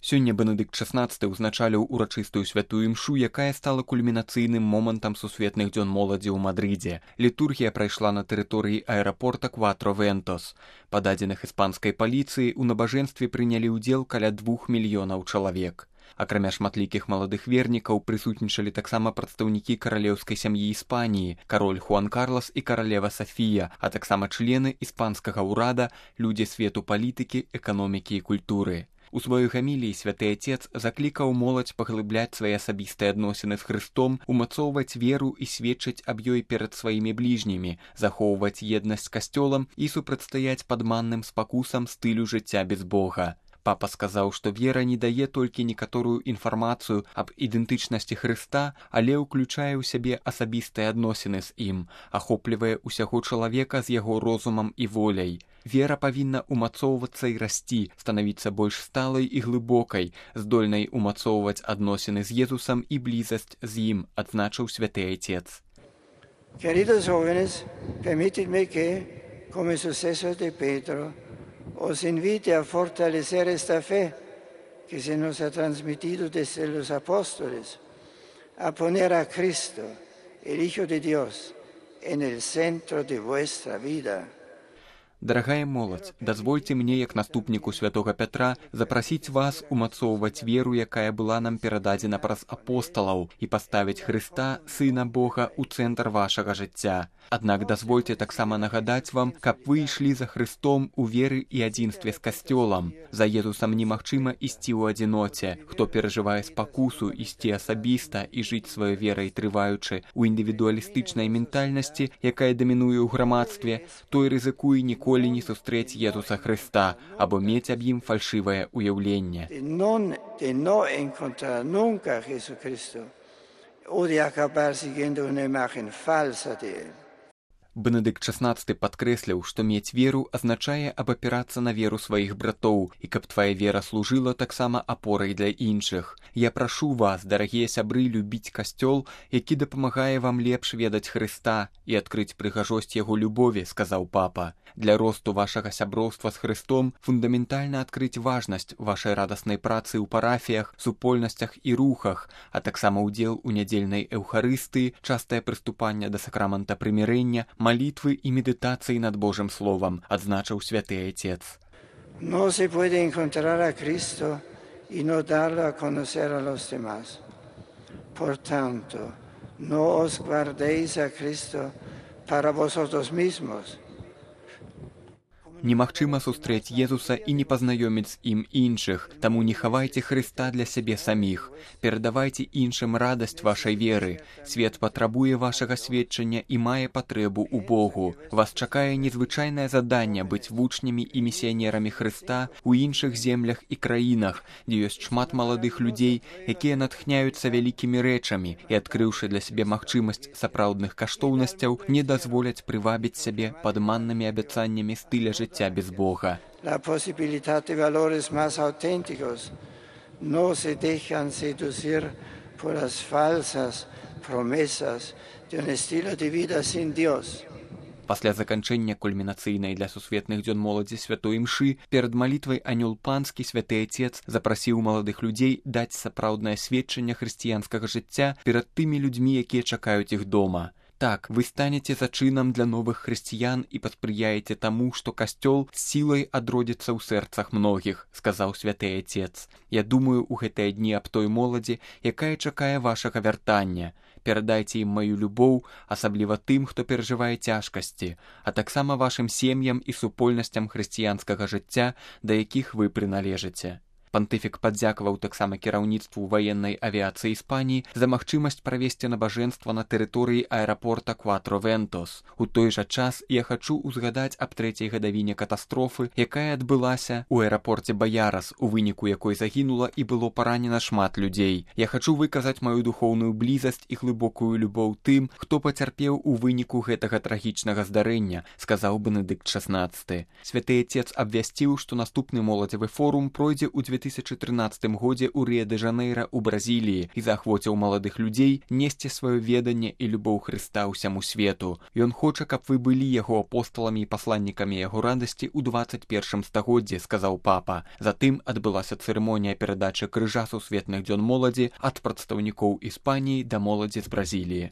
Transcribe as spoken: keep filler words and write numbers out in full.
Сёння Бенедыкт шаснаццаты ўзначаліў урачыстую святую імшу, якая стала кульмінацыйным момантам сусветных дзён моладзі ў Мадрыдзе. Літургія прайшла на тэрыторыі аэрапорта Кватро-Вентос. Па дадзеных іспанскай паліцыі, у набажэнстве прынялі ўдзел каля двух мільёнаў чалавек. Акрамя шматлікіх маладых вернікаў прысутнічалі таксама прадстаўнікі каралеўскай сям'і Іспаніі, кароль Хуан Карлас і каралева Сафія, а таксама члены іспанскага ўрада, людзі свету палітыкі, эканомікі і культуры. У сваёй гаміліі святы Отец заклікаў моладзь паглыбляць свае асабістыя адносіны з Хрыстом, умацоўваць веру і сведчыць аб ёй перад сваімі бліжнімі, захоўваць еднасць з касцёлам і супрацьстаяць падманным спакусам стылю жыцця без Бога. Папа сказаў, што вера не дае толькі некаторую інфармацыю аб ідэнтычнасці Хрыста, але ўключае ў сябе асабістыя адносіны з ім, ахоплівае ўсяго чалавека з яго розумам і воляй. Вера павінна умацоўвацца і расці, станавіцца больш сталай і глыбокай, здольнай умацоўваць адносіны з Езусам і блізасць з ім, адзначыў святы Отец. Queridos jóvenes, permítidme que, como sucesor de Pedro, os invite a fortalecer esta fe que se nos ha transmitido desde los apóstoles, a poner a Cristo, el Hijo de Dios, en el centro de vuestra vida. Дарагая моладзь, дазвольце мне, як наступніку святога Пятра, запрасіць вас умацоўваць веру, якая была нам перададзена праз апосталаў, і паставіць Хрыста, Сына Бога, у цэнтр вашага жыцця. Аднак дазвольце таксама нагадаць вам, каб вы ішлі за Хрыстом у веры і адзінстве з касцёлам. За Езусам немагчыма ісці ў адзіноце. Хто перажывае спакусу ісці асабіста і жыць сваёй верай трываючы ў індывідуалістычнай ментальнасці, якая дамінуе ў грамадстве, той рызыкуе ніколі не сустрэць Езуса Хрыста або мець аб ім фальшывае ўяўленне. De no encontrar nunca a Jesucristo o de acabar siguiendo una imagen falsa de él. Бенедыкт шаснаццаты падкрэсліў, што мець веру азначае абапірацца на веру сваіх братоў, і каб твая вера служыла таксама апорай для іншых. Я прашу вас, дарагія сябры, любіць касцёл, які дапамагае вам лепш ведаць Хрыста і адкрыць прыгажосць яго любові, сказаў папа. Для росту вашага сяброўства з Хрыстом фундаментальна адкрыць важнасць вашай радаснай працы ў парафіях, супольнасцях і рухах, а таксама ўдзел у нядзельнай эўхарыстыі, частае прыступанне да сакрамента прымірэння, молитвы и медитации над Божьим Словом, отзначил святый Отец. No se puede encontrar a Cristo y no darlo a conocer a los demás. Por tanto, no os guardéis a Cristo para vosotros mismos. Немагчыма сустрэць Езуса і не пазнаёміць з ім іншых, таму не хавайце Хрыста для сябе саміх. Перадавайце іншым радасць вашай веры. Свет патрабуе вашага сведчання і мае патрэбу ў Богу. Вас чакае незвычайнае заданне быць вучнямі і місіянерамі Хрыста ў іншых землях і краінах, дзе ёсць шмат маладых людзей, якія натхняюцца вялікімі рэчамі і, адкрыўшы для сябе магчымасць сапраўдных каштоўнасцяў, не дазволяць прывабіць сябе падманнымі абяцаннямі стыля жыцця без Бога. La posibilidad de valores más auténticos no se dejan seducir por las falsas promesas de un estilo de vida sin Dios. Пасля заканчэння кульмінацыйнай для сусветных дзён моладзі святой імшы перад малітвай анёл панскі святы Отец запрасіў маладых людзей даць сапраўднае сведчанне хрысціянскага жыцця перад тымі людзьмі, якія чакаюць іх дома. Так, вы станете зачынам для новых хрысціян і паспрыяеце таму, што касцёл сілай адродзіцца ў сэрцах многіх, сказаў святы Отец. Я думаю у гэтыя дні аб той моладзі, якая чакае вашага вяртання. Перадайце ім маю любоў, асабліва тым, хто перажывае цяжкасці, а таксама вашым сем'ям і супольнасцям хрысціянскага жыцця, да якіх вы прыналежыце. Пантыфік падзякаваў таксама кіраўніцтву ваеннай авіяцыі Іспаніі за магчымасць правесці набажэнства на тэрыторыі аэрапорта Кватро-Вентос. У той жа час я хачу ўзгадаць аб трэцяй гадавіне катастрофы, якая адбылася ў аэрапорце Баярас, у выніку якой загінула і было паранена шмат людзей. Я хачу выказаць маю духоўную блізасць і глыбокую любоў тым, хто пацярпеў у выніку гэтага трагічнага здарэння, сказаў Бенедыкт шаснаццаты. Святы Отец абвясціў, што наступны моладзевы форум пройдзе ў две тысячы трынаццатым годзе ў Рыа-дэ-Жанэйра ў Бразіліі і заахвоціў маладых людзей несці сваё веданне і любоў Хрыста ўсяму свету. Ён хоча, каб вы былі яго апосталамі і пасланнікамі яго радасці ў дваццаць першым стагоддзі, сказаў папа. Затым адбылася цырымонія перадачы крыжа сусветных дзён моладзі ад прадстаўнікоў Іспаніі да моладзі з Бразіліі.